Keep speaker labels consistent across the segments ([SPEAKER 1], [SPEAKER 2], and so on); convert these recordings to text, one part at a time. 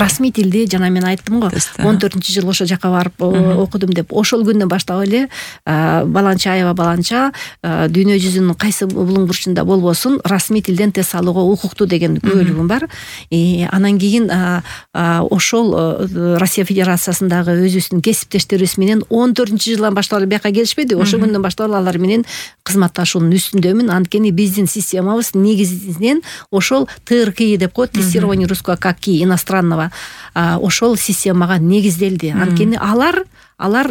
[SPEAKER 1] расмий тилди жана мен айттым го 14-жыл ошол жака барып окудум деп. Ошол күндөн баштап эле баланча аябай баланча дүйнө жүзүнүн кайсы булуң бурчунда болбосун расмий тилден тест алууга укуктуу деген күбөлүгүм бар. Анан кийин ошол Россия Федерациясындагы өзүбүздүн кесиптештерибиз менен 14-жылдан баштап эле бияка келишпеди. Ошол күндөн баштап эле алар менен кызматташуунун үстүндөмүн. Анткени биздин системабыз негизинен ошол ТРКИ деп коет, тестирование русского как иностранного, ошол системага негизделди. Анткени алар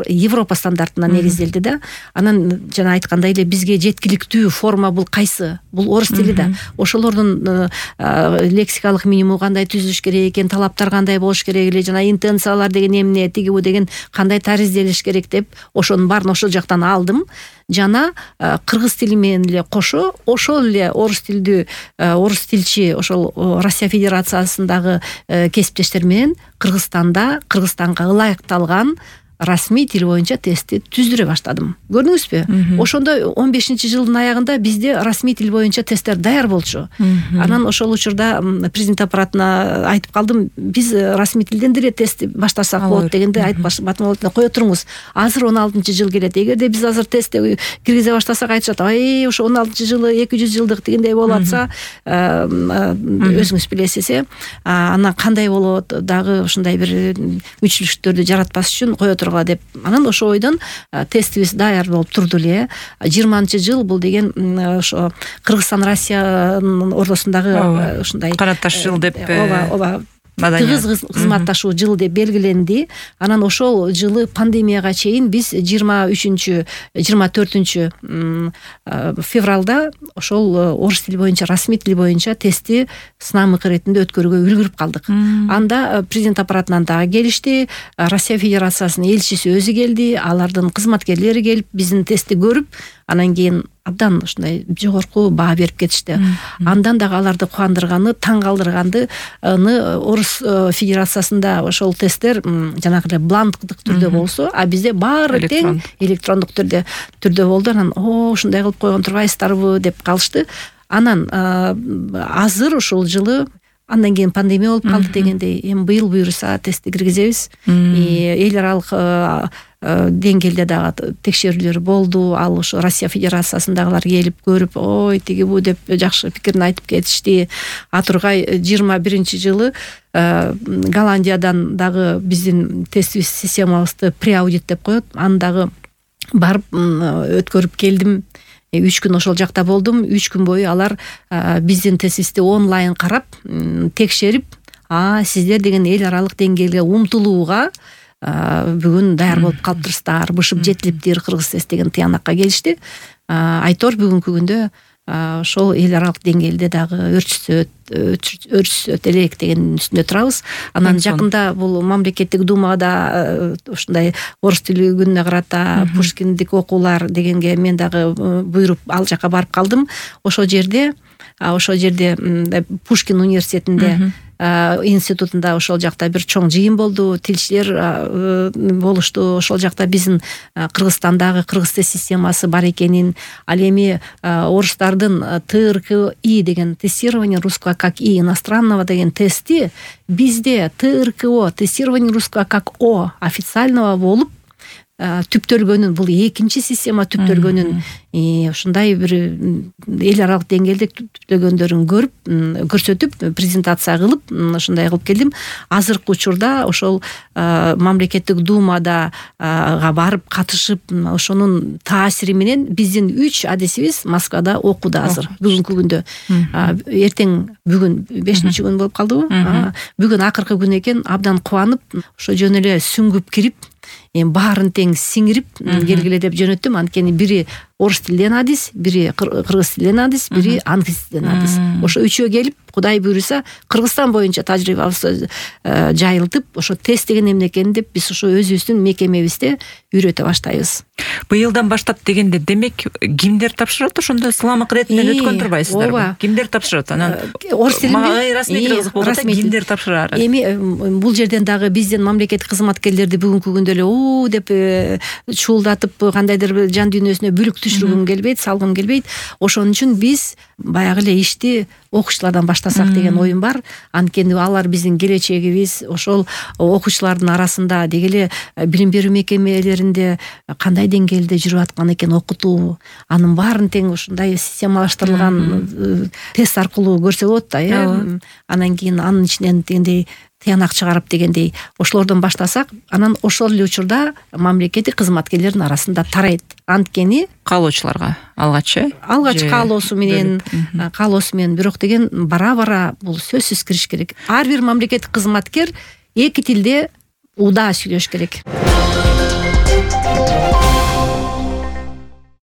[SPEAKER 1] Европа стандартына негизделди да. Анан жана айткандай эле бизге жеткиликтүү форма бул кайсы? Бул орус тили да. Ошолордун лексикалык минимуму кандай түзүлүш керек экен, талаптар кандай болуш керек эле, жана интенциялар деген эмне, тиги бу деген кандай таризделиш керек деп ошонун баарын ошол жактан алдым. Жана кыргыз тили менен эле кошо ошол эле орус тилчи ошол Россия Федерациясындагы кесиптештер менен Кыргызстанга ылайыкталган расмий тил боюнча тестти түздүрө баштадым. Көрдүңүзбү? Ошондо 15-жылдын аягында бизде расмий тил боюнча тесттер даяр болчу. Анан ошол учурда президент аппаратына айтып калдым, биз расмий тилден деле тестти баштасак болот дегенде айтып батым кое туруңуз. Азыр 16-жыл келет. Эгерде биз азыр тестти киргизе баштасак айтышат, ошо 16-жылы 200 жылдык дегендей болуп атса, өзүңүз билесиз, анан кандай болот, дагы ушундай бир үчүлүштөрдү жаратпас үчүн кое деп. Анан ошо ойдон тестибиз даяр болуп турду эле. 20-жыл бул деген ошо Кыргызстан Россиянын ортосундагы ушундай
[SPEAKER 2] караташ жыл деп
[SPEAKER 1] тыгыз кызматташуу жыл деп белгиленди. Анан ошол жылы пандемияга чейин биз 24 февралда ошол орус тили боюнча, расмий тил боюнча тестти сынамык иретинде өткөрүүгө үлгүрүп калдык. Анда президент аппаратынан дагы келишти, Россия Федерациясынын элчиси өзү келди, алардын кызматкерлери келип биздин тестти көрүп, анан кийин абдан ушундай жогорку баа берип кетишти. Андан дагы аларды кубандырганы, таң калтырганы орус федерациясында ошол тесттер жанагы эле бланктык түрдө болсо, а бизде баары тең электрондук түрдө болду. Анан ушундай кылып койгон турбайсыздарбы деп калышты. Анан азыр ушул жылы андан кийин пандемия болуп калды дегендей, эми быйыл буюрса тестти киргизебиз. Эл аралык деңгээлде дагы текшерүүлөр болду. Ал ошо Россия Федерациясындагылар келип көрүп, ой тиги бу деп жакшы пикирин айтып кетишти. Атургай 21-жылы Голландиядан дагы биздин тестибиз системабызды преаудит деп коет. Аны дагы барып өткөрүп келдим. 3 күн ошол жакта болдум. 3 күн бою алар биздин тестибизди онлайн карап, текшерип, сиздер деген эл аралык деңгээлге умтулууга бүгүн даяр болуп калыптырсыздар, бышып жетилиптир кыргыз тест деген тыянакка келишти. Айтор бүгүнкү күндө ошол эл аралык деңгээлде дагы өрчүсөт элек деген үстүндө турабыз. Анан жакында бул мамлекеттик думада ушундай орус тили күнүнө карата Пушкиндик окуулар дегенге мен дагы буйруп ал жака барып калдым. Ошол жерде Пушкин университетинде институтунда ошол жакта бир чоң жыйын болду, тилчилер болушту. Ошол жакта биздин Кыргызстандагы кыргыз тест системасы бар экенин, ал эми орустардын ТРКИ деген тестирование русского как иностранного деген тести бизде ТРКО тестирование русского как официального болуп түптөлгөнүн, бул экинчи система түптөлгөнүн, ушундай бир эл аралык деңгээлде түптөлгөндөрүн көрсөтүп, презентация кылып, ушундай кылып келдим. Азыркы учурда ошол мамлекеттик думада барып катышып, ошонун таасири менен биздин 3 адисибиз Москвада окууда азыр бүгүнкү күндө. Бүгүн 5-күн болуп калдыбы? Бүгүн акыркы күн экен, абдан кубанып, ошо жөн эле сүңгүп кирип, баарын тең сиңирип келгиле деп жөнөттүм. Анткени бири орус тилден адис, бири кыргыз тилден адис, бири англис тилден адис. Ошо үчөө келип, Кудай буйруса, Кыргызстан боюнча тажрыйбабызды жайылтып, ошо тест деген эмне экенин деп биз ошо өзүбүздүн мекемебизде үйрөтө баштайбыз.
[SPEAKER 2] Быйылдан баштап дегенде, демек кимдер тапшырат? Ошондо сыламык иретинен өткөн турбайсыздарбы? Кимдер тапшырат? Анан орус тилинде расмий тил кызык болот, кимдер тапшырар? Эми
[SPEAKER 1] бул жерден дагы биздин мамлекеттик кызматкерлерди бүгүнкү күндө эле деп чуулдатып, кандайдыр жан дүйнөсүнө бүлүк түшүргүм келбейт, салгым келбейт. Ошон үчүн биз баягы эле ишти окуучулардан баштасак деген оюм бар. Анткени алар биздин келечегибиз. Ошол окуучулардын арасында деги эле билим берүү мекемелеринде кандай деңгээлде жүрүп аткан экен окутуу, анын баарын тең ушундай системалаштырылган тест аркылуу көрсө болот да, анан кийин анын ичинен дегендей тыянак чыгарып дегендей ошолордон баштасак, анан ошол эле учурда мамлекеттик кызматкерлердин арасында тарайт. Анткени
[SPEAKER 2] каалоочуларга алгач
[SPEAKER 1] каалоосу менен бирок деген бара бул сөзсүз кириш керек. Ар бир мамлекеттик кызматкер эки тилде удаа сүйлөш керек.